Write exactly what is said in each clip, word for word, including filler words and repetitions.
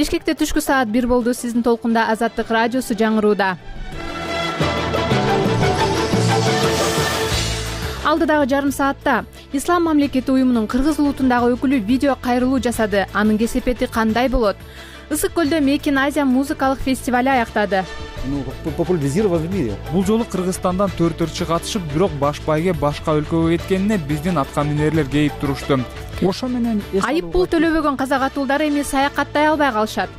Бишкекте түшкү саат бир болду. Сиздин толкунда Азаттык радиосу жаңырууда. Алдыдагы жарым саатта Ислам мамлекети уюмунун Кыргыз улутундагы өкүлү видео кайрылуу жасады. Анын кесепети кандай болот? Ысык көлдө Мейкин Азия музыкалык фестивали аяктады. Популяризирован в мире. Бул жолу Кыргызстандан төрт ырчы катышып, бирок баш байге башка өлкөгө кеткенине биздин аткан минерлер кейип турушту. Ошо менен айып пул төлөбөгөн казак атуулдар эми саякаттай албай калышат.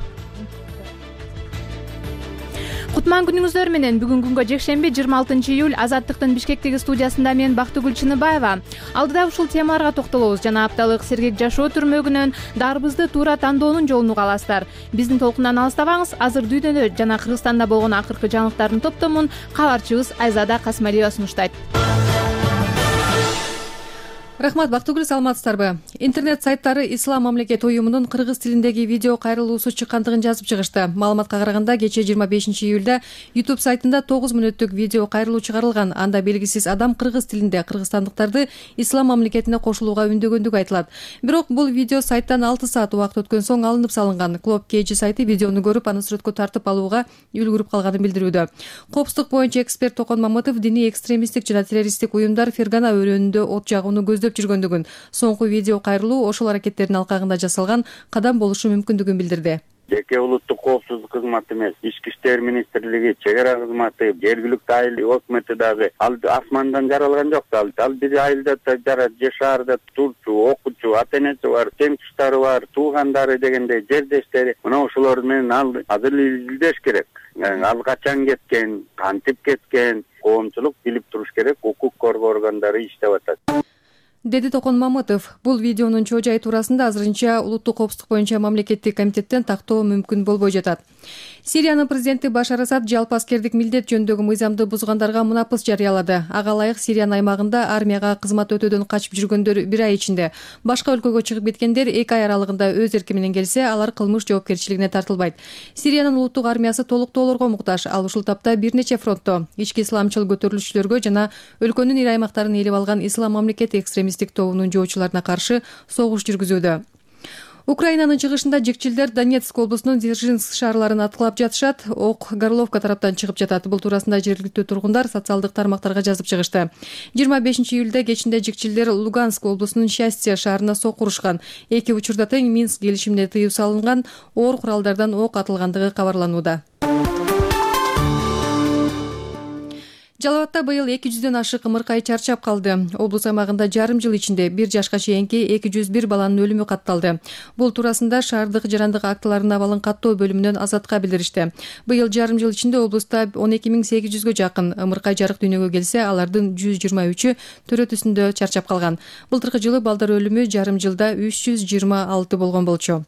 Кутман күнүңүздөр менен. Бүгүн күнгө жекшемби жыйырма алтынчы июль. Азаттыктын Бишкектеги студиясында мен Бактыгүл Чыныбаева. Алдыда ушул темаларга токтолобуз жана апталык сергек жашоо түрмөгүнөн дарбызды туура тандоонун жолун уга аласыздар. Биздин толкундан алыстабаңыз. Азыр дүйнөдө жана Кыргызстанда болгон акыркы жаңылыктардын топтомун кабарчыбыз Айзада Касмалиева сунуштайт. Рахмат, Бактыгүл, саламатсыздарбы? Интернет сайттары Ислам мамлекети уюмунун кыргыз тилиндеги видео кайрылуусу чыккандыгын жазып чыгышты. Маалыматка караганда, кечээ жыйырма бешинчи июлда YouTube сайтында тогуз мүнөттүк видео кайрылуу чыгарылган. Анда белгисиз адам кыргыз тилинде кыргызстандыктарды Ислам мамлекетине кошулууга үндөгөндүгү айтылат. Бирок бул видео сайттан алты саат убакыт өткөн соң алынып салынган. Клоп Кейджи сайты видеону көрүп, аны сүрөткө тартып алууга үлгүрүп калганын билдирүүдө. Коопсуздук боюнча эксперт Токон Мамытов диний экстремисттик жана террористтик уюмдар Фергана өрөөнүндө от жагууну көздөп жүргөндүгүн, соңку видео кайрылуу ошол аракеттердин алкагында жасалган кадам болушу мүмкүндүгүн билдирди. Жеке улуттук коопсуздук кызматы эмес, Ички иштер министрлиги, чек ара кызматы, жергиликтүү айыл өкмөтү дагы ал асмандан жаралган жок. Ал ал бир айылда жарат, же шаарда турчу, окуучу, ата энеси бар, тең туштары бар, туугандары дегендей жердештери. Мына ошолор менен ал азыр билдеш керек. Ал качан кеткен, кантип кеткен, коомчулук билип туруш керек. Укук коргоо органдары иштеп атат, деди Токон Мамытов. Бул видеонун чоо жайы туурасында азырынча улуттук коопсуздук боюнча мамлекеттик комитеттен тактоо мүмкүн болбой жатат. Сириянын президенти Башар Асад жалпы аскердик милдет жөнүндөгү мыйзамды бузгандарга мунапыс жарыялады. Ага ылайык Сириянын аймагында армияга кызмат өтөөдөн качып жүргөндөр бир ай ичинде, башка өлкөгө чыгып кеткендер эки ай аралыгында өз эрки менен келсе, алар кылмыш жоопкерчилигине тартылбайт. Сириянын улуттук армиясы толуктоолорго муктаж. Ал ушул тапта бир нече фронтто ички исламчыл көтөрүлүшчүлөргө жана өлкөнүн ири аймактарын ээлеп алган Ислам мамлекети экстремисттик тобунун жоочуларына каршы согуш жүргүзүүдө. Украинанын чыгышында жикчилдер Донецк облусунун Дзержинск шаарларын аткылап жатышат. Ок Горловка тараптан чыгып жатат. Бул туурасында жергиликтүү тургундар социалдык тармактарга жазып чыгышты. жыйырма бешинчи июлда кечинде жикчилдер Луганск облусунун Счастье шаарына сок урушкан. Эки учурда тең Минск келишимине тыюу салынган, оор куралдардан ок атылгандыгы кабарланууда. Жалал-Абадта быйыл эки жүздөн ашык ымыркай чарчап калды. Облус аймагында жарым жыл ичинде бир жашка чейинки эки жүз бир баланын өлүмү катталды. Бул туурасында шаардык жарандык актыларын абалын каттоо бөлүмүнөн Азатка билдиришти. Быйыл жарым жыл ичинде облуста он эки миң сегиз жүзгө жакын ымыркай жарык дүйнөгө келсе, алардын жүз жыйырма үчү төрөт үстүндө чарчап калган. Былтыркы жылы балдар өлүмү жарым жылда үч жүз жыйырма алты болгон болчу.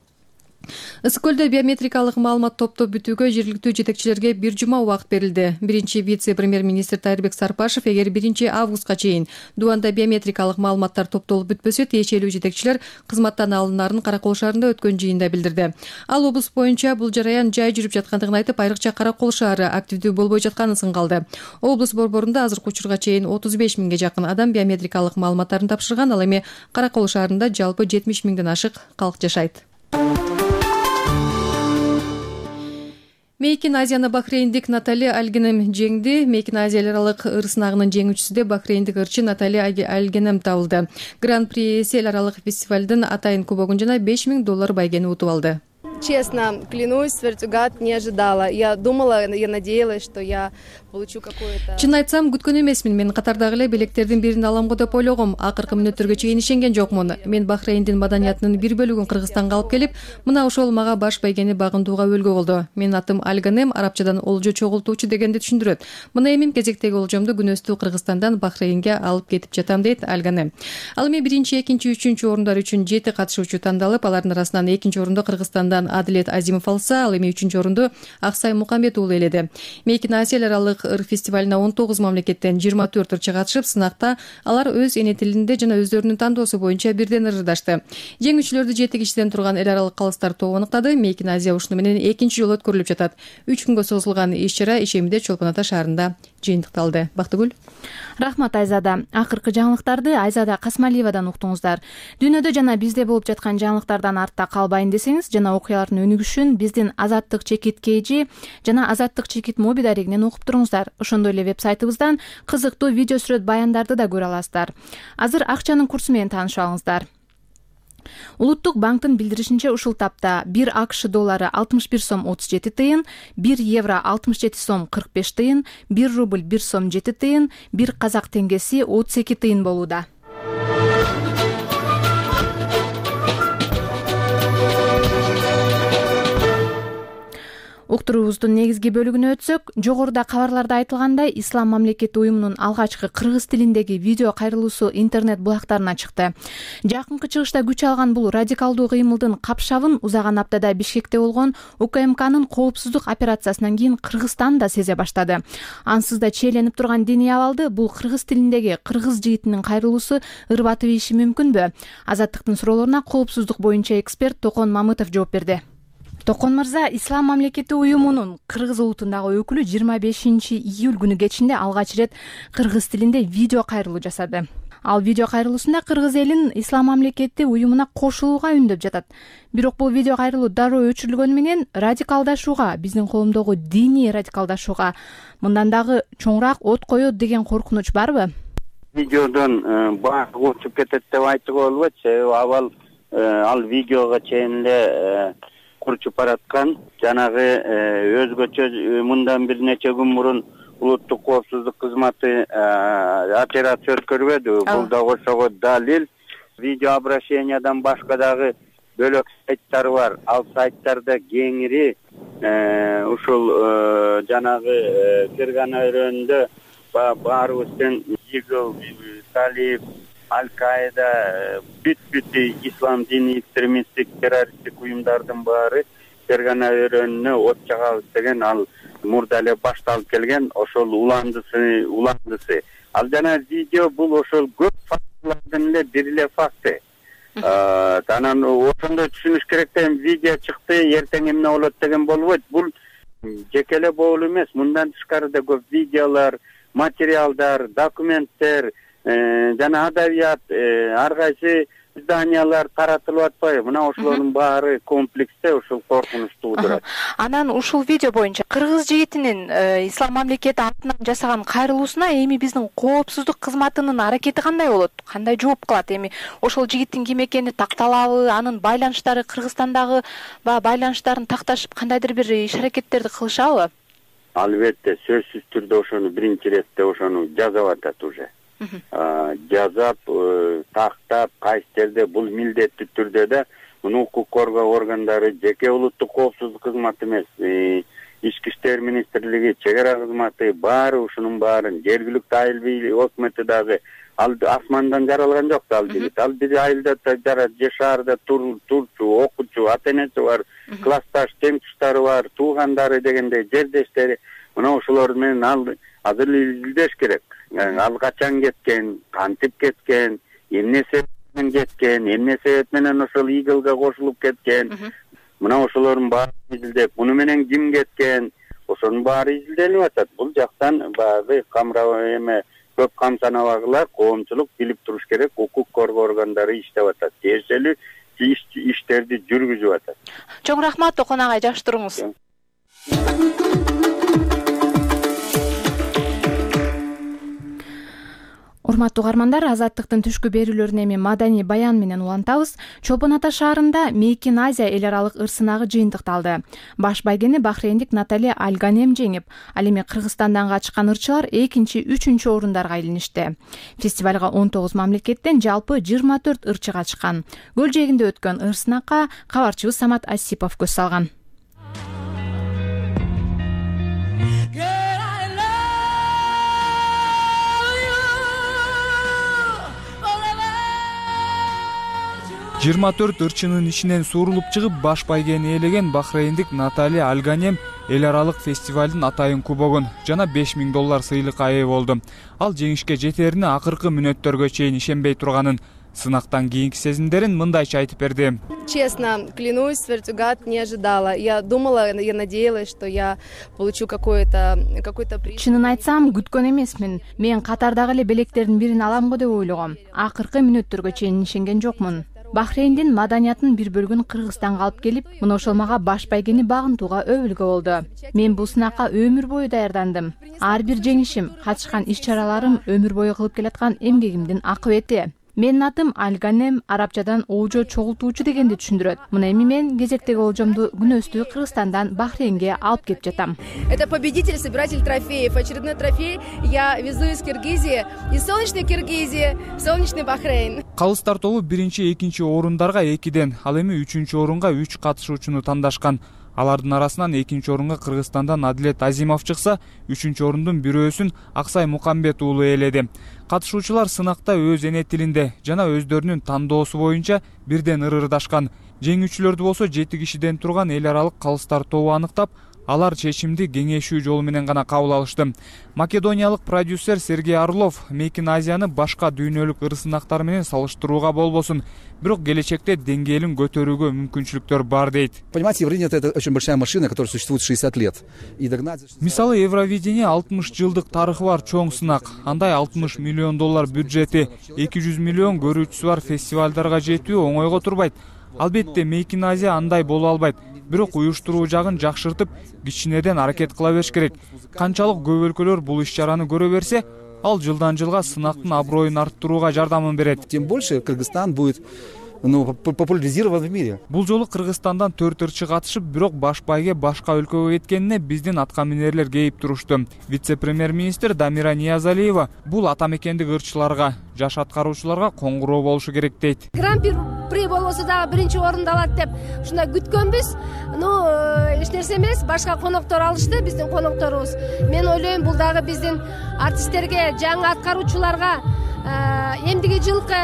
Ысык көлдө биометрикалык маалымат топтоп бүтүүгө жергиликтүү жетекчилерге бир жума убакыт берилди. Биринчи вице-премьер-министр Тайырбек Сарпашев эгер биринчи августка чейин Дуанда биометрикалык маалыматтар топтолуп бүтпөсө, тиешелүү жетекчилер кызматтан алынаарын Каракол шаарында өткөн жыйында билдирди. Ал облус боюнча бул жараян жай жүрүп жаткандыгын айтып, айрыкча Каракол шаары активдүү болбой жатканын сыңгалды. Облус борборунда азыркы учурга чейин отуз беш миңге жакын адам биометрикалык маалыматтарын тапшырган. Ал эми Каракол шаарында жалпы жетимиш миңден ашык калк жашайт. Мейкин Азияны бахрейндик Натали Альгенем жеңди. Мейкин Азия аралык ыр сынагынын жеңүүчүсү де бахрейндик ырчы Натали Альгенем табылды. Гран-при эл аралык фестивалдын атайын кубогун жана беш миң доллар байгени утуп алды. Честно, клянусь, Свертюгат, не ожидала. Я думала, я надеялась, что я получу какое-то... Чын айтсам, күткөн эмесмин. Мен катардагы эле билектердин бирин аламго деп ойлогом. Акыркы мүнөттөргө чейин ишенген жокмун. Мен Бахрейндин маданиятынын бир бөлүгүн Кыргызстанга алып келип, мына ошол мага баш байгени багындууга өбөлгө болду. Менин атым Альгенем, арабчадан олжо чогултуучу дегенди түшүндүрөт. Мына эми кезектеги олжомду күнөстүү Кыргызстандан Бахрейнге алып кетип жатам, дейт Альгенем. Ал эми биринчи, экинчи, үчүнчү орундар үчүн жети катышуучу тандалып, алардын арасынан экинчи орунду Кыргызстандан Адилет Азимов алса, ал эми үчүнчү орунду Аксай Мукамбет уулу эледи. Мейкин Азия аралык ыр фестивалына он тогуз мамлекеттен жыйырма төрт ырчы катышып, сынакта алар өз эне тилинде жана өздөрүнүн тандоосу боюнча бирден ырдашты. Жеңүүчүлөрдү жети кишиден турган эл аралык калыстар тобу аныктады. Мейкин Азия ушуну менен экинчи жолу өткөрүлүп жатат. үч күнгө созулган иш-чара ишемиде Чолпон Ата шаарында жыйынтыкталды. Бактыгүл. Рахмат Айзада. Акыркы жаңылыктарды Айзада Касмалиевадан уктуңуздар. Дүйнөдө жана бизде болуп жаткан жаңылыктардан артта калбайын десеңиз жана окуялардын өнүгүшүн биздин Азаттык чекит kg жана Азаттык чекит моби дарегинен окуп туруңуздар. Ошондой эле веб-сайтыбыздан кызыктуу видео сүрөт баяндарды да көрө аласыздар. Азыр акчанын курсу менен таанышып алыңыздар. Улуттук банктын билдиришинче ушул тапта бир АКШ доллары алтымыш бир сом отуз жети тыйын, бир евро алтымыш жети сом кырк беш тыйын, бир рубль бир сом жети тыйын, бир казак теңгеси отуз эки тыйын болууда. Уктуруубуздун негизги бөлүгүнө өтсөк, жогоруда кабарларда айтылгандай, Ислам мамлекети уюмунун алгачкы кыргыз тилиндеги видео кайрылуусу интернет булактарына чыкты. Жакынкы чыгышта күч алган бул радикалдуу кыймылдын капшабын узаган аптада Бишкекте болгон УКМКнын коопсуздук операциясынан кийин Кыргызстан да сезе баштады. Ансыз да чийленип турган диний абалды бул кыргыз тилиндеги кыргыз жигитинин кайрылуусу ырбатып ийиши мүмкүнбү? Азаттыктын суроолоруна коопсуздук боюнча эксперт Токон Мамытов жооп берди. Токон мырза, Ислам мамлекети уюмунун кыргыз улутундагы өкүлү жыйырма бешинчи июль күнү кечинде алгач ирет кыргыз тилинде видео кайрылуу жасады. Ал видео кайрылуусунда кыргыз элин Ислам мамлекети уюмуна кошулууга үндөп жатат. Бирок бул видео кайрылуу дароо өчүрүлгөнү менен радикалдашууга, биздин коомдогу диний радикалдашууга мындан дагы чоңураак от коет деген коркунуч барбы? Видеодон баары учуп кетет деп айтууга болбойт, себеби абал ал видеого чейин эле курчуп бараткан. Жанагы өзгөчө мындан бир нече күн мурун улуттук коопсуздук кызматы операция өткөрбөдү. Бул да ошого далил. Видео обращениядан башка дагы бөлөк сайттар бар. Ал сайттарда кеңири ушул жанагы кырган өрөөндө баарыбыздын Игл, Талиб, Аль-Каида, бүт-бүт ислам диний экстремисттик террористтик уюмдардын баары Фергана өрөөнүнө от чагабыз деген ал мурда эле башталып келген ошол уландысы уландысы. Ал жана видео бул ошол көп фактылардын эле бир эле факты. Анан ошондой түшүнүш керек деген видео чыкты, эртең эмне болот деген болбойт. Бул жеке эле болуу эмес, мындан тышкары да көп видеолор, материалдар, документтер жана адабият ар кайсы изданиялар таратылып атпайбы? Мына ошолордун баары комплексте ушул коркунуч туудурат. Анан ушул видео боюнча кыргыз жигитинин Ислам мамлекети атынан жасаган кайрылуусуна эми биздин коопсуздук кызматынын аракети кандай болот? Кандай жооп кылат? Эми ошол жигиттин ким экени такталабы? Анын байланыштары Кыргызстандагы байланыштарын такташып кандайдыр бир иш аракеттерди кылышабы? Албетте, сөзсүз түрдө ошону биринчи иретте ошону жазап атат уже. Жазап, тактап, кайсы жерде бул милдеттүү түрдө да муну укук коргоо органдары, жеке улуттук коопсуздук кызматы эмес, ички иштер министрлиги, чек ара кызматы баары ушунун баарын жергиликтүү айыл бийлиги өкмөтү дагы ал асмандан жаралган жок да ал жигит. Ал бир айылда жарат, же шаарда турчу, окуучу, ата энеси бар, классташ, тең туштары бар, туугандары дегендей жердештери. Мына ошолор менен ал азыр изилдеш керек. Ал качан кеткен, кантип кеткен, эмне себеп менен кеткен, эмне себеп менен ошол Иглга кошулуп кеткен. Мына ошолордун баарын изилдеп, муну менен ким кеткен, ошонун баары изилденип атат. Бул жактан баягы камраа эме көп камсанабагылар, коомчулук билип туруш керек, укук коргоо органдары иштеп атат. Тиешелүү иштерди жүргүзүп атат. Чоң рахмат, Токон агай, жакшы туруңуз. Урматтуу угармандар, Азаттыктын түшкү берүүлөрүн эми маданий баян менен улантабыз. Чолпон Ата шаарында Мейкин Азия эл аралык ырсынагы жыйынтыкталды. Баш байгени бахрейндик Натали Аль-Ганем жеңип, ал эми Кыргызстандан качкан ырчылар экинчи, үчүнчү орундарга илиништи. Фестивалга он тогуз мамлекеттен жалпы жыйырма төрт ырчы катышкан. Көл жээгинде өткөн ырсынакка кабарчыбыз Самат Асипов көз салган. жыйырма төрт ырчынын ичинен суурулуп чыгып баш байгени ээлеген бахрейндик Натали Аль-Ганем эл аралык фестивалдын атайын кубогун жана беш миң доллар сыйлыкка ээ болду. Ал жеңишке жетерине акыркы мүнөттөргө чейин ишенбей турганын Сынактан кийинки сезимдерин мындайча айтып берди. Честно, клянусь, Свертюгат не ожидала. Я думала, я надеялась, что я получу какой-то какой-то приз. Чынын айтсам, күткөн эмесмин. Мен катардагы эле белектердин бирин алам го деп ойлогом. Акыркы мүнөттөргө чейин ишенген жокмун. Бахрейндин маданиятынын бир бөлүгүн Кыргызстанга алып келип, мына ошол мага баш байгени багынтууга өбүлгө болду. Мен бул сынакка өмүр бою даярдандым. Ар бир жеңишим, катышкан иш-чараларым өмүр бою кылып келаткан эмгегимдин акыбети. Менин атым Альганем, арабчадан оожо чогултуучу дегенди түшүндүрөт. Мына эми мен кезектеги олжомду күнөстүү Кыргызстандан Бахрейнге алып келип жатам. Это победитель, собиратель трофеев. Очередной трофей я везу из Киргизии, из солнечной Киргизии в солнечный Бахрейн. Калыс тартоолу биринчи, экинчи орундарга экиден, ал эми үчүнчү орунга үч катышуучуну тандашкан. Алардын арасынан экинчи орунга Кыргызстандан Адилет Азимов чыкса, үчүнчү орундун бирөөсүн Аксай Мукамбет уулу ээледи. Катышуучулар сынакта өз эне тилинде жана өздөрүнүн тандоосу боюнча бирден ырырдашкан. Жеңүүчүлөрдү болсо жети кишиден турган эл аралык калыс тартообу аныктап, алар чечимди кеңешүү жолу менен гана кабыл алышты. Македониялык продюсер Сергей Орлов Мейкин Азияны башка дүйнөлүк ыр сынактар менен салыштырууга болбосун, бирок келечекте деңгээлин көтөрүүгө мүмкүнчүлүктөр бар дейт. Понимаете, Евровидение — это очень большая машина, которая существует шестьдесят лет. И догнать... Мисалы, Евровидение алтымыш жылдык тарыхы бар чоң сынак. Андай алтымыш миллион доллар бюджети, эки жүз миллион көрүүчүсү бар фестивалдарга жетүү оңойго турбайт. Албетте Мейкин Азия андай боло албайт. Бирок уюштуруу жагын жакшыртып, кичинеден аракет кыла бериш керек. Канчалык көп өлкөлөр бул иш-чараны көрө берсе, ал жылдан жылга сынактын аброюн арттырууга жардамын берет. Тем больше Кыргызстан будет ну, популяризирован в мире. Бул жолу Кыргызстандан төрт ырчы катышып, бирок баш байге башка өлкөгө кеткенине биздин аткаминерлер кейип турушту. Вице-премьер-министр Дамира Ниязалиева бул атамекендик ырчыларга, жаш аткаруучуларга коңгуроо болушу керек дейт. Гран-при болбосо дагы биринчи орунду алат деп ушундай күткөнбүз. Ну, эч нерсе эмес, башка коноктор алышты, биздин конокторубуз. Мен ойлойм, бул дагы биздин артисттерге, жаңы аткаруучуларга, эмдиги жылкы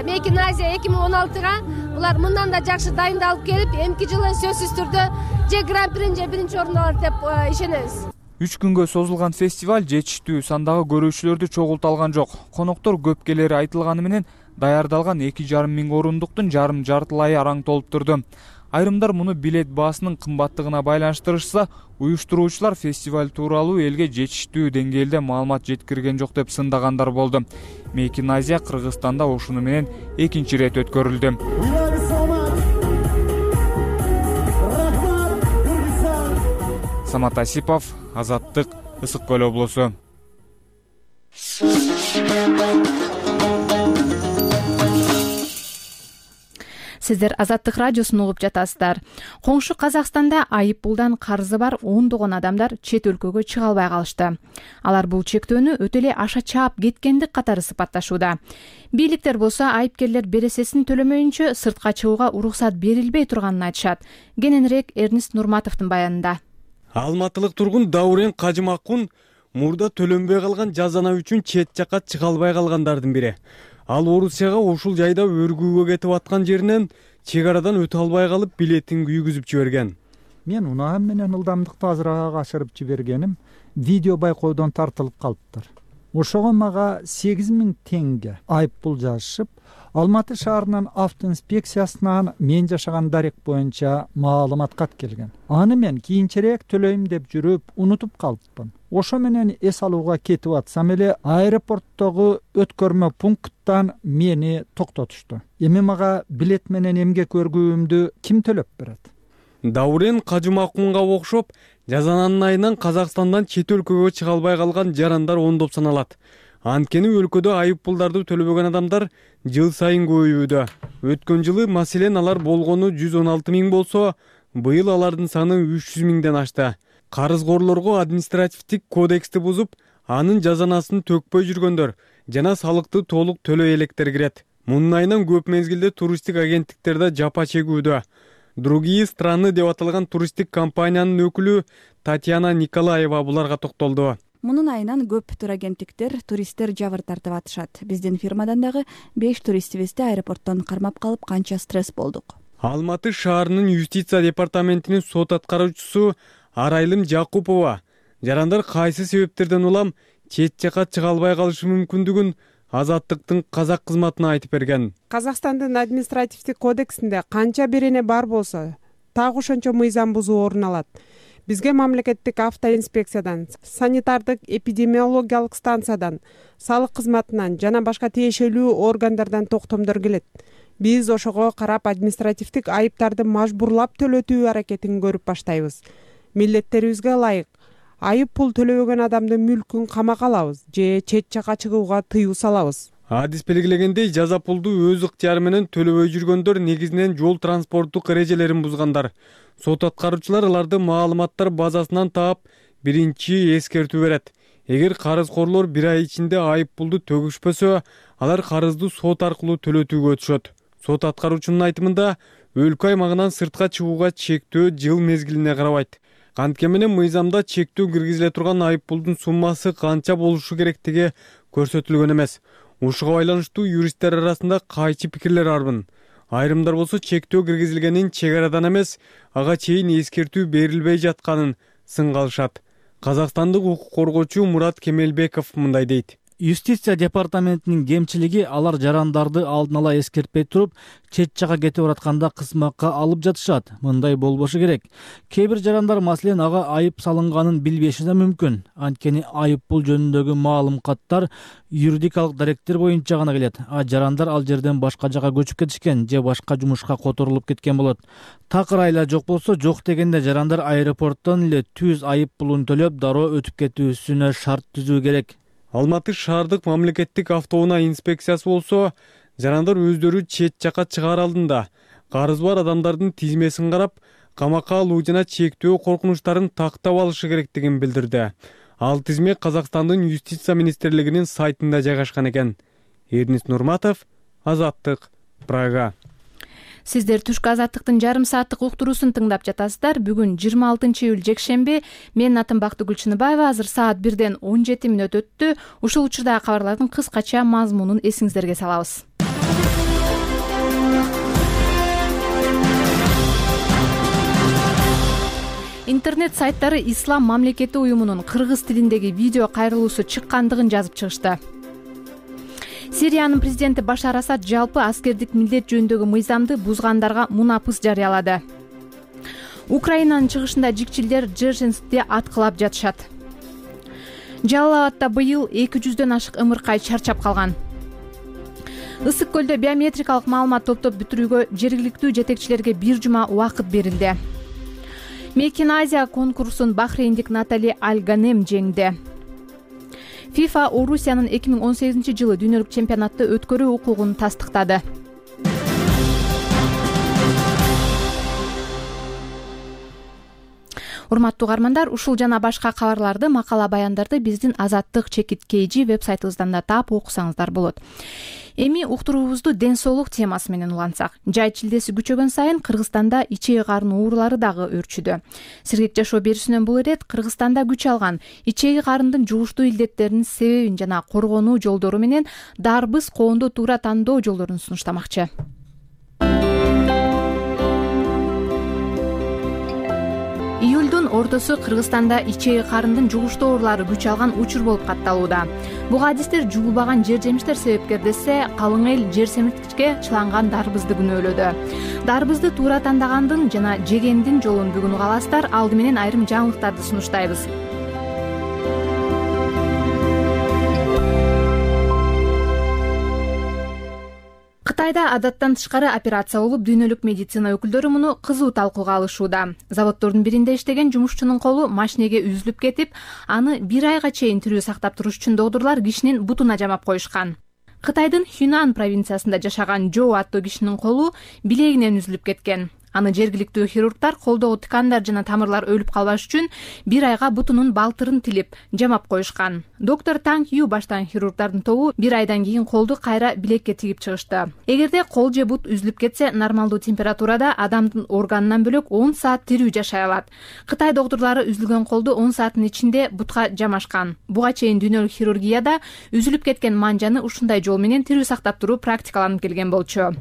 Мейкин Азия эки миң он алтыга булар мындан да жакшы дайындалып келип, эмки жылы сөзсүз түрдө же гран-прини же биринчи орунду алат деп ишенебиз. Үч күнгө созулган фестиваль жетиштүү сандагы көрүүчүлөрдү чогулта алган жок. Коноктор көп келери айтылганы менен даярдалган эки жарым миң орундуктун жарым жартылайы араң толуп турду. Айрымдар муну билет баасынын кымбаттыгына байланыштырышса, уюштуруучулар фестиваль тууралуу элге жетиштүү деңгээлде маалымат жеткирген жок деп сындагандар болду. Мейкин Азия Кыргызстанда ушуну менен экинчи ирет өткөрүлдү. Самат Асипов, Азаттык, Ысык Көл облусу. Сиздер Азаттык радиосун угуп жатасыздар. Коңшу Казакстанда айып пулдан карызы бар ондогон адамдар чет өлкөгө чыга албай калышты. Алар бул чектөөнү өтө эле аша чаап кеткендик катары сыпатташууда. Бийликтер болсо айыпкерлер бересесин төлөмөйүнчө сыртка чыгууга уруксат берилбей турганын айтышат. Кененирээк Эрнист Нурматовдун баянында. Алматылык тургун Даурен Кажымакун мурда төлөнбөй калган жазана үчүн чет жакка чыга албай калгандардын бири. Ал Орусияга ушул жайда өргүүгө кетип аткан жеринен чек арадан өтө албай калып билетин күйгүзүп жиберген. Мен унаам менен ылдамдыкты азыраак ашырып жибергеним видео байкоодон тартылып калыптыр. Ошого мага сегиз миң теңге айып пул жазышып, Алматы шаарынын автоинспекциясынан мен жашаган дарек боюнча маалымат кат келген. Аны мен кийинчерээк төлөйм деп жүрүп, унутуп калыпмын. Ошо менен эс алууга кетип атсам эле аэропорттогу өткөрмө пункттан мени токтотушту. Эми мага билет менен эмгек өргүүмдү ким төлөп берет? Даурен Кажымакунга окшоп, жазананын айынан Казакстандан чет өлкөгө чыга албай калган жарандар ондоп саналат. Анткени өлкөдө айып пулдарды төлөбөгөн адамдар жыл сайын көбөйүүдө. Өткөн жылы маселен алар болгону жүз он алты миң болсо, быйыл алардын саны үч жүз миңден ашты. Карызгорлорго административдик кодексти бузуп, анын жазанасын төкпөй жүргөндөр жана салыкты толук төлөй электер кирет. Мунун айынан көп мезгилде туристтик агенттиктерде жапа чегүүдө. Другие страны деп аталган туристтик компаниянын өкүлү Татьяна Николаева буларга токтолду. Мунун айынан көп турагенттиктер туристтер жабыр тартып атышат. Биздин фирмадан дагы беш туристибизди аэропорттон кармап калып канча стресс болдук. Алматы шаарынын юстиция департаментинин сот аткаруучусу Арайлым Жакупова жарандар кайсы себептерден улам чет жакка чыга албай калышы мүмкүндүгүн Азаттыктын казак кызматына айтып берген. Казакстандын административдик кодексинде канча берене бар болсо, так ошончо мыйзам бузуу орун алат. Бизге мамлекеттик автоинспекциядан, санитардык эпидемиологиялык станциядан, салык кызматынан жана башка тиешелүү органдардан токтомдор келет. Биз ошого карап административдик айыптарды мажбурлап төлөтүү аракетин көрүп баштайбыз. Милдеттерибизге ылайык айып пул төлөбөгөн адамдын мүлкүн камакка алабыз же чет жакка чыгууга тыюу салабыз. Адис белгилегендей, жаза пулду өз ыктыяры менен төлөбөй жүргөндөр негизинен жол транспорттук эрежелерин бузгандар. Сот аткаруучулар аларды маалыматтар базасынан таап, биринчи эскертүү берет. Эгер карызкорлор бир ай ичинде айып пулду төгүшпөсө, алар карызды сот аркылуу төлөтүүгө өтүшөт. Сот аткаруучунун айтымында, өлкө аймагынан сыртка чыгууга чектөө жыл мезгилине карабайт. Анткени мыйзамда чектөө киргизиле турган айып пулдун суммасы канча болушу керектиги көрсөтүлгөн эмес. Ушуга байланыштуу юристтер арасында кайчы пикирлер арбын. Айрымдар болсо чектөө киргизилгенин чек арадан эмес, ага чейин эскертүү берилбей жатканын сынга алышат. Казакстандык укук коргоочу Мурат Кемелбеков мындай дейт. Юстиция департаментинин кемчилиги алар жарандарды алдын ала эскертпей туруп, чет жакка кетип баратканда кызматка алып жатышат. Мындай болбошу керек. Кээ бир жарандар маселен ага айып салынганын билбеши да мүмкүн. Анткени айып пул жөнүндөгү маалым каттар юридикалык даректер боюнча гана келет. А жарандар ал жерден башка жака көчүп кетишкен же башка жумушка которулуп кеткен болот. Такыр айла жок болсо, жок дегенде жарандар аэропорттон эле түз айып пулун төлөп, дароо өтүп кетүүсүнө шарт түзүү керек. Алматы шаардык мамлекеттик автоунаа инспекциясы болсо, жарандар өздөрү чет жакка чыгаар алдында карызы бар адамдардын тизмесин карап, камакка алуу жана чектөө коркунучтарын тактап алышы керектигин билдирди. Ал тизме Казакстандын юстиция министрлигинин сайтында жайгашкан экен. Эрнис Нурматов, Азаттык, Прага. Сиздер түшкү азаттыктын жарым сааттык уктуруусун тыңдап жатасыздар. Бүгүн жыйырма алтынчы июль жекшемби. Менин атым Бактыгүл Чыныбаева. Азыр саат бирден он жети мүнөт өттү. Ушул учурдагы кабарлардын кыскача мазмунун эсиңиздерге салабыз. Интернет сайттары Ислам мамлекети уюмунун кыргыз тилиндеги видео кайрылуусу чыккандыгын жазып чыгышты. Сириянын президенти Башар Асад жалпы аскердик милдет жөнүндөгү мыйзамды бузгандарга мунапыс жарыялады. Украинанын чыгышында жикчилдер Джержинскте аткылап жатышат. Жалал Абадта быйыл эки жүздөн ашык ымыркай чарчап калган. Ысык көлдө биометрикалык маалымат топтоп бүтүрүүгө жергиликтүү жетекчилерге бир жума убакыт берилди. Мейкин Азия конкурсун бахрейндик Натали Аль-Ганем жеңди. FIFA Орусиянын эки миң он сегизинчи жылы дүйнөлүк чемпионатты өткөрүү укугун тастыктады. Урматтуу угармандар, ушул жана башка кабарларды, макала баяндарды биздин Азаттык чекит kg веб-сайтыбыздан да таап окусаңыздар болот. Эми уктуруубузду ден соолук темасы менен улантсак. Жай чилдеси күчөгөн сайын Кыргызстанда ичеги карын оорулары дагы өрчүдө. Сергек жашоо берүүсүнөн бул ирет Кыргызстанда күч алган ичеги карындын жугуштуу илдеттеринин себебин жана коргонуу жолдору менен дарбыз коонду туура тандоо жолдорун сунуштамакчы. Июлдун ортосу Кыргызстанда ичеги карындын жугуштуу оорулары күч алган учур болуп катталууда. Буга адистер жуулбаган жер жемиштер себепкер десе, калың эл жер семирткичке чыланган дарбызды күнөөлөдү. Дарбызды туура тандагандын жана жегендин жолун бүгүн уга аласыздар. Алды менен айрым жаңылыктарды сунуштайбыз. Кытайда адаттан тышкары операция болуп, дүйнөлүк медицина өкүлдөрү муну кызуу талкууга алышууда. Заводдордун биринде иштеген жумушчунун колу машинеге үзүлүп кетип, аны бир айга чейин тирүү сактап туруш үчүн доктурлар кишинин бутуна жамап коюшкан. Кытайдын Хюнан провинциясында жашаган Жо аттуу кишинин колу билегинен үзүлүп кеткен. Аны жергиликтүү хирургдар колдогу тыкандар жана тамырлар өлүп калбаш үчүн бир айга бутунун балтырын тилип жамап коюшкан. Доктор Танг Ю баштаган хирургдардын тобу бир айдан кийин колду кайра билекке тигип чыгышты. Эгерде кол же бут үзүлүп кетсе, нормалдуу температурада адамдын органынан бөлөк он саат тирүү жашай алат. Кытай доктурлары үзүлгөн колду он сааттын ичинде бутка жамашкан. Буга чейин дүйнөлүк хирургияда үзүлүп кеткен манжаны ушундай жол менен тирүү сактап туруу практикаланып келген болчу.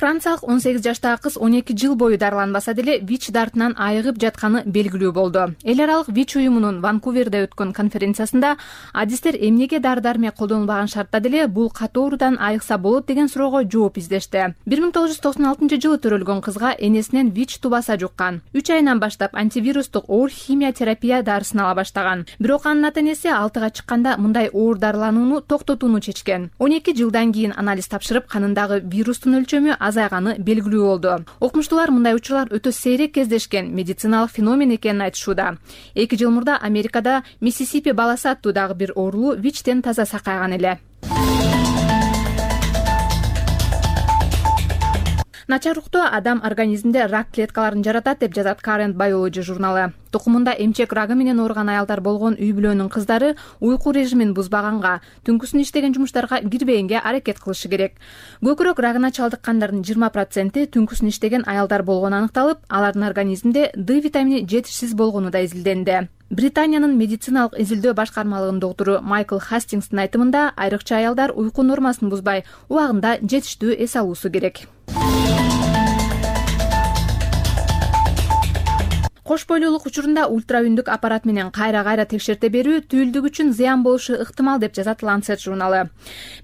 Франциялык он сегиз жаштагы кыз он эки жыл бою дарыланбаса деле ВИЧ дартынан айыгып жатканы белгилүү болду. Эл аралык ВИЧ уюмунун Ванкуверде өткөн конференциясында адистер эмнеге дары-дармек колдонулбаган шартта деле бул катоорудан айыкса болот деген суроого жооп издешти. бир миң тогуз жүз токсон алтынчы жылы төрөлгөн кызга энесинен ВИЧ тубаса жуккан. үч айынан баштап антивирустук оор химиотерапия дарысын ала баштаган. Бирок анын ата-энеси алтыга чыкканда мындай оор дарыланууну токтотууну чечкен. он эки жылдан кийин анализ тапшырып, канындагы вирустун өлчөмү азайганы белгилүү болду. Окумуштуулар мындай учурлар өтө сейрек кездешкен медициналык феномен экенин айтышууда. эки жыл мурда Америкада Миссисипи баласы аттуу дагы бир оорулуу ВИЧтен таза сакайган эле. Начар уктоо адам организминде рак клеткаларын жаратат деп жазат Current Biology журналы. Тукумунда эмчек рагы менен ооруган аялдар болгон үй бүлөнүн кыздары уйку режимин бузбаганга, түнкүсүн иштеген жумуштарга кирбегенге аракет кылышы керек. Көкүрөк рагына чалдыккандардын жыйырма проценти түнкүсүн иштеген аялдар болгону аныкталып, алардын организминде Д витамини жетишсиз болгону да изилденди. Британиянын медициналык изилдөө башкармалыгынын доктуру Майкл Хастингстын айтымында, айрыкча аялдар уйку нормасын бузбай, убагында жетиштүү эс алуусу керек. Кош бойлуулук учурунда ультраүндүк аппарат менен кайра-кайра текшерте берүү түйүлдүк үчүн зыян болушу ыктымал деп жазат Lancet журналы.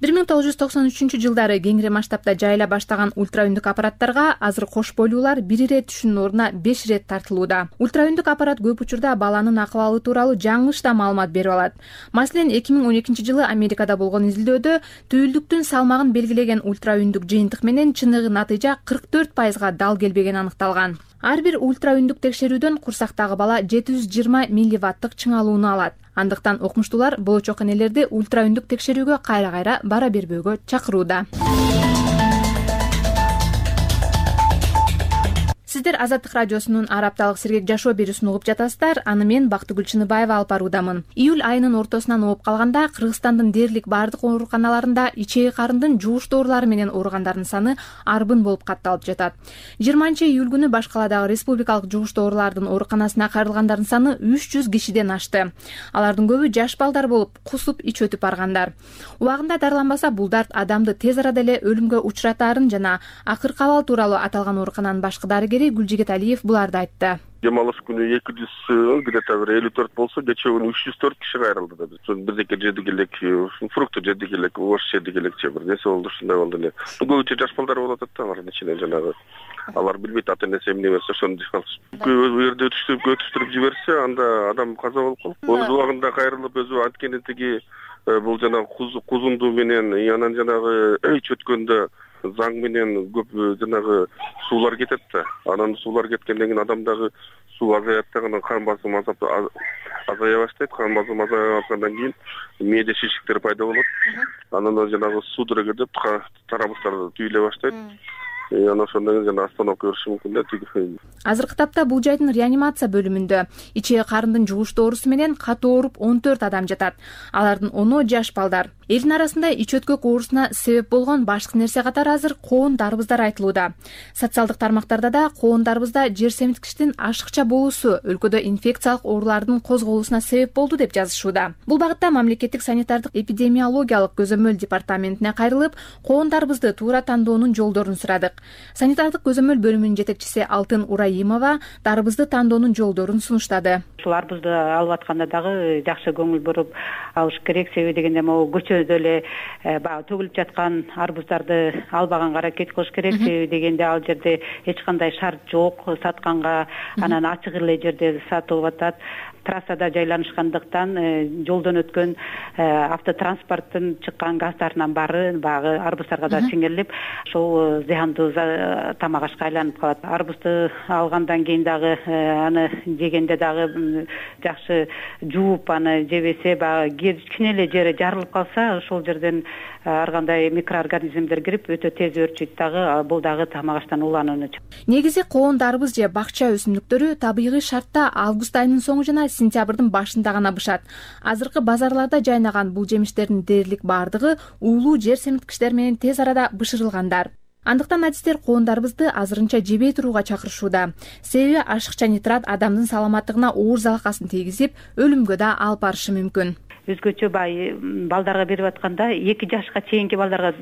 бир миң тогуз жүз токсон үчүнчү жылдары кеңири масштабта жайыла баштаган ультраүндүк аппараттарга азыр кош бойлуулар бир ирет түшүүнүн ордуна беш ирет тартылууда. Ультраүндүк аппарат көп учурда баланын акыбалы тууралуу жаңылыш да маалымат берип алат. Маселен, эки миң он экинчи жылы Америкада болгон изилдөөдө түйүлдүктүн салмагын белгилеген ультраүндүк жыйынтык менен чыныгы натыйжа кырк төрт пайызга дал келбегени аныкталган. Ар бир ультраүндүк текшерүүдөн курсактагы бала жети жүз жыйырма милливаттык чыңалууну алат. Андыктан окумуштуулар болочок энелерди ультраүндүк текшерүүгө кайра-кайра бара бербөөгө чакырууда. Сиздер Азаттык радиосунун ар апталык сергек жашоо берүүсүн угуп жатасыздар. Аны мен Бактыгүл Чыныбаева алып баруудамын. Июль айынын ортосунан ооп калганда Кыргызстандын дээрлик бардык ооруканаларында ичеги карындын жугуш доорулары менен ооругандардын саны арбын болуп катталып жатат. жыйырманчы июль күнү баш каладагы республикалык жугуш доорулардын ооруканасына кайрылгандардын саны үч жүз кишиден ашты. Алардын көбү жаш балдар болуп, кусуп ич өтүп баргандар. Убагында дарыланбаса, бул дарт адамды тез арада эле өлүмгө учуратаарын жана акыркы абал тууралуу аталган оорукананын башкы дарыгери Гүлжигит Алиев буларды айтты. Дем алыш күнү эки жүз где-то бир элүү төрт болсо, кечээ күнү үч жүз төрт киши кайрылды да. Ошон бирдеке жедик элек, фрукты жедик элек, ош жедик элекчи бир нерсе болду, ушундай болду эле. Көбүнчө жаш балдар болуп атат да, алардын ичинен жанагы. Алар билбейт ата-энеси эмне берсе ошону жеп алышат. Көп жерде өтүштүрүп өтүштүрүп жиберсе, анда адам каза болуп калат. Өз убагында кайрылып, өзү анткени тиги бул жанагы кузунду менен, анан жанагы ич өткөндө заң менен көп жанагы суулар кетет да. Анан суулар кеткенден кийин адамдагы суу азаят да, анан кан басымы азая баштайт. Кан басымы азайгандан кийин мээде шишиктер пайда болот. Анан жанагы судорога деп тарабыстар түйүлө баштайт. Анан ошондон кийин жана остановка бериши мүмкүн да. Азыркы тапта бул жайдын реанимация бөлүмүндө ичеги карындын жугуш доорусу менен катуу ооруп он төрт адам жатат. Алардын ону жаш балдар. Элдин арасында ич өткөк оорусуна себеп болгон башкы нерсе катары азыр коон дарбыздар айтылууда. Социалдык тармактарда да коон дарбызда жер семирткичтин ашыкча болуусу өлкөдө инфекциялык оорулардын козголуусуна себеп болду деп жазышууда. Бул багытта мамлекеттик санитардык эпидемиологиялык көзөмөл департаментине кайрылып, коон дарбызды туура тандоонун жолдорун сурадык. Санитардык көзөмөл бөлүмүнүн жетекчиси Алтын Ураимова дарбызды тандоонун жолдорун сунуштады. Ушул арбызды алып атканда дагы жакшы көңүл буруп алыш керек. Себеби дегенде могу көчөдө эле баягы төгүлүп жаткан арбыздарды албаганга аракет кылыш керек. Себеби дегенде ал жерде эч кандай шарт жок сатканга, анан ачык эле жерде сатылып атат. Трассада жайланышкандыктан жолдон өткөн автотранспорттун чыккан газдарынын баары баягы арбыздарга да сиңирилип, ошол зыяндуу тамак ашка айланып калат. Арбызды алгандан кийин дагы аны жегенде дагы жакшы жууп аны жебесе, баягы кичине эле жери жарылып калса, ошол жерден ар кандай микроорганизмдер кирип өтө тез өрчүйт дагы, бул дагы тамак аштан уланууну. Негизи коон дарбыз же бакча өсүмдүктөрү табигый шартта август айынын соңу жана сентябрдын башында гана бышат. Азыркы базарларда жайнаган бул жемиштердин дээрлик бардыгы уулуу жер семирткичтер менен тез арада бышырылгандар. Андыктан адистер коон дарбызды азырынча жебей турууга чакырышууда. Себеби ашыкча нитрат адамдын саламаттыгына оор залакасын тийгизип, өлүмгө да алып барышы мүмкүн. өзгөчө баягы балдарга берип атканда эки жашка чейинки балдарга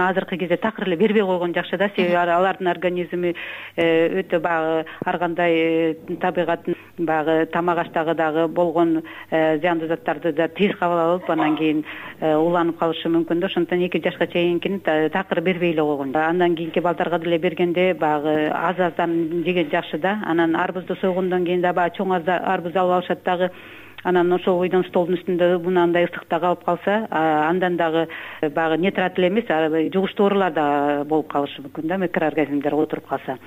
азыркы кезде такыр эле бербей койгон жакшы да, себеби алардын организми өтө баягы ар кандай табигаттын баягы тамак аштагы дагы болгон зыяндуу заттарды да тез кабыл алып анан кийин уланып калышы мүмкүн да. Ошондуктан эки жашка чейинкини такыр бербей эле койгон. Андан кийинки балдарга деле бергенде баягы аз аздан жеген жакшы да. Анан арбузду сойгондон кийин да баягы чоң арбуз алып алышат дагы. Анан ошол бойдон столдун үстүндө мынандай ысыкта калып калса, андан дагы баягы нейтрат эле эмес, жугуштуу оорулар да болуп калышы мүмкүн да, микроорганизмдер отуруп калса.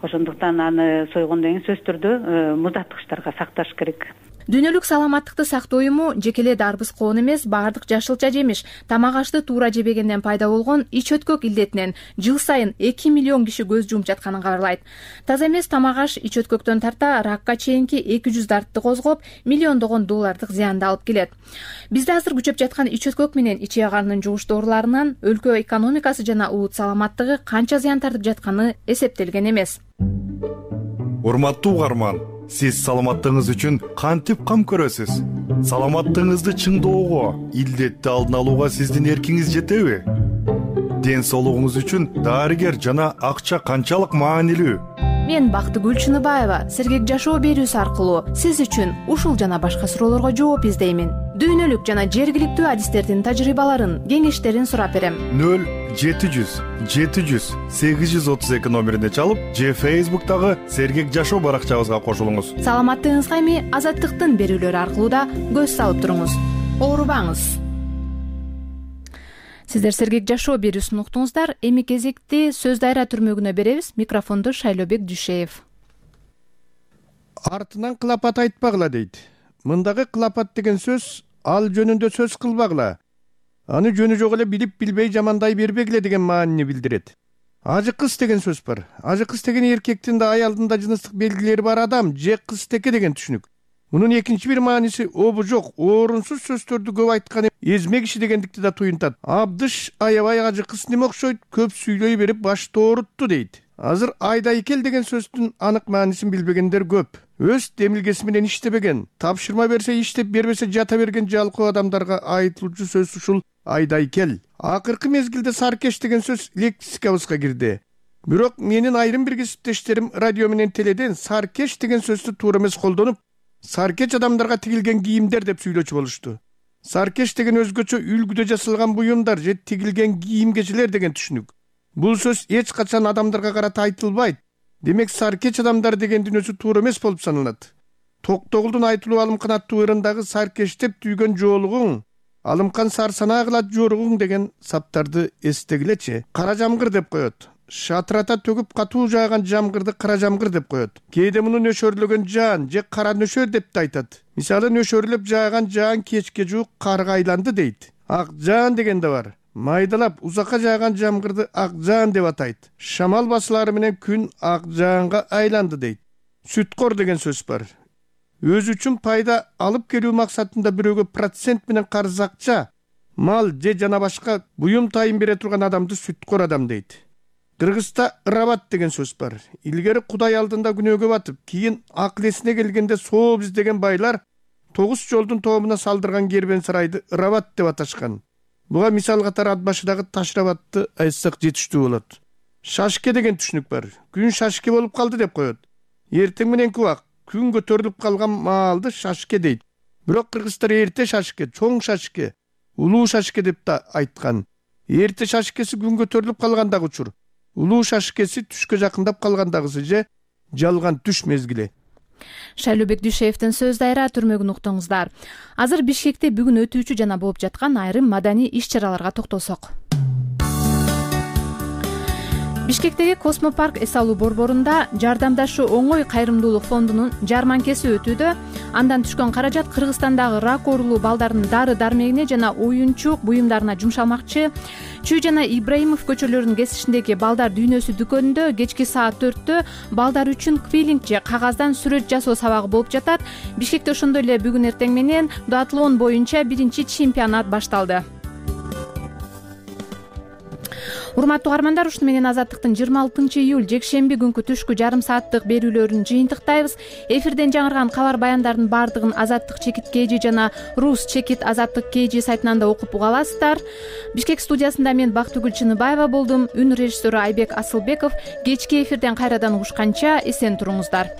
Ошондуктан аны сойгондон кийин сөзсүз түрдө муздаткычтарга сакташ керек. Дүйнөлүк саламаттыкты сактоо уюму жеке эле дарбыз коон эмес, баардык жашылча жемиш, тамак ашты туура жебегенден пайда болгон ич өткөк илдетинен жыл сайын эки миллион киши көз жумуп жатканын кабарлайт. Таза эмес тамак аш ич өткөктөн тарта ракка чейинки эки жүз дартты козгоп, миллиондогон доллардык зыянды алып келет. Бизде азыр күчөп жаткан ич өткөк менен ичек карынын жугуштуу ооруларынан өлкө экономикасы жана улут саламаттыгы канча зыян тартып жатканы эсептелген эмес. Урматтуу угарман, сиз саламаттыгыңыз үчүн кантип кам көрөсүз? Саламаттыгыңызды чыңдоого, илдетти алдын алууга сиздин эркиңиз жетеби? Ден соолугуңуз үчүн дарыгер жана акча канчалык маанилүү? Мен Бактыгүл Чыныбаева сергек жашоо берүүсү аркылуу сиз үчүн ушул жана башка суроолорго жооп издеймин. Дүйнөлүк жана жергиликтүү адистердин тажрыйбаларын, кеңештерин сурап берем. нөл жети жүз жети жүз сегиз жүз отуз эки номерине чалып, же Facebook'тагы сергек жашоо баракчабызга кошулуңуз. Саламаттыгыңызга эми Азаттыктын берүүлөрү аркылуу да көз салып туруңуз. Оорубаңыз. Сиздер сергек жашоо берүүсүн уктуңуздар. Эми кезекти сөз дайра түрмөгүнө беребиз. Микрофонду Шайлобек Дүйшеев. Артынан кылапат айтпагыла дейт. Мындагы кылапат деген сөз ал жөнүндө сөз кылбагыла. Аны жөнү жок эле билип билбей жамандай бербегиле деген маанини билдирет. Ажы кыз деген сөз бар. Ажы кыз деген эркектин да аялдын да жыныстык белгилери бар адам же кызтеке деген түшүнүк. Мунун экинчи бир мааниси обу жок, орунсуз сөздөрдү көп айткан эзме киши дегендикти да туюнтат. Абдыш аябай ажы кыз неме окшойт, көп сүйлөй берип башты оорутту дейт. Азыр айдайкел деген сөздүн анык маанисин билбегендер көп. Өз демилгеси менен иштебеген, тапшырма берсе иштеп, бербесе жата берген жалкоо адамдарга айтылуучу сөз ушул айдайкел. Акыркы мезгилде саркеш деген сөз лексикабызга кирди. Бирок менин айрым бир кесиптештерим радио менен теледен саркеш деген сөздү туура эмес колдонуп, саркеч адамдарга тигилген кийимдер деп сүйлөчү болушту. Саркеш деген өзгөчө үлгүдө жасалган буюмдар же тигилген кийим-кечелер деген түшүнүк. Бул сөз эч качан адамдарга карата айтылбайт. Демек саркеч адамдар дегендин өзү туура эмес болуп саналат. Токтогулдун айтылуу Алымкан аттуу ырындагы саркештеп түйгөн жоолугуң, Алымкан сарсанаа кылат жоругуң деген саптарды эстегилечи. Кара жамгыр деп коет. Шатырата төгүп катуу жааган жамгырды кара жамгыр деп коет. Кээде муну нөшөрлөгөн жаан же кара нөшөр деп да айтат. Мисалы нөшөрлөп жааган жаан кечке жуук карга айланды дейт. Ак жаан деген да бар. Майдалап узакка жааган жамгырды ак жаан деп атайт. Шамал басылары менен күн ак жаанга айланды дейт. Сүткор деген сөз бар. Өзү үчүн пайда алып келүү максатында бирөөгө процент менен карыз акча, мал же жана башка буюм тайын бере турган адамды сүткор адам дейт. Кыргызда ырабат деген сөз бар. Илгери Кудай алдында күнөөгө батып, кийин акыл эсине келгенде сооп издеген байлар тогуз жолдун тоомуна салдырган кербен сарайды ырабат деп аташкан. Буга мисал катары ат башыдагы Ташрабатты айтсак жетиштүү болот. Шашке деген түшүнүк бар. Күн шашке болуп калды деп коет. Эртең мененки убак күн көтөрүлүп калган маалды шашке дейт. Бирок кыргыздар эрте шашке, чоң шашке, улуу шашке деп да айткан. Эрте шашкеси күн көтөрүлүп калгандагы учур. Улуу шашкеси түшкө жакындап калгандагысы же жалган түш мезгили. Шайлобек Дүйшеевдин сөз дайра түрмөгүн уктуңуздар. Азыр Бишкекте бүгүн өтүүчү жана болуп жаткан айрым маданий иш-чараларга токтолсок. Бишкектеги Космопарк эс алуу борборунда жардамдашы оңой кайрымдуулук фондунун жарманкеси өтүүдө. Андан түшкөн каражат Кыргызстандагы рак оорулуу балдардын дары дармегине жана оюнчук буюмдарына жумшалмакчы. Чүй жана Ибраимов көчөлөрүнүн кесишиндеги балдар дүйнөсү дүкөнүндө кечки саат төрттө балдар үчүн квиллинг же кагаздан сүрөт жасоо сабагы болуп жатат. Бишкекте ошондой эле бүгүн эртең менен дуатлон боюнча биринчи чемпионат башталды. урматтуу угармандар, ушуну менен Азаттыктын жыйырма алтынчы июль жекшемби күнкү түшкү жарым сааттык берүүлөрүн жыйынтыктайбыз. Эфирден жаңырган кабар баяндардын баардыгын Азаттык чекит kg жана Рус чекит Азаттык kg сайтынан да окуп уга аласыздар. Бишкек студиясында мен Бактыгүл Чыныбаева болдум. Үн режиссеру Айбек Асылбеков. Кечки эфирден кайрадан угушканча эсен туруңуздар.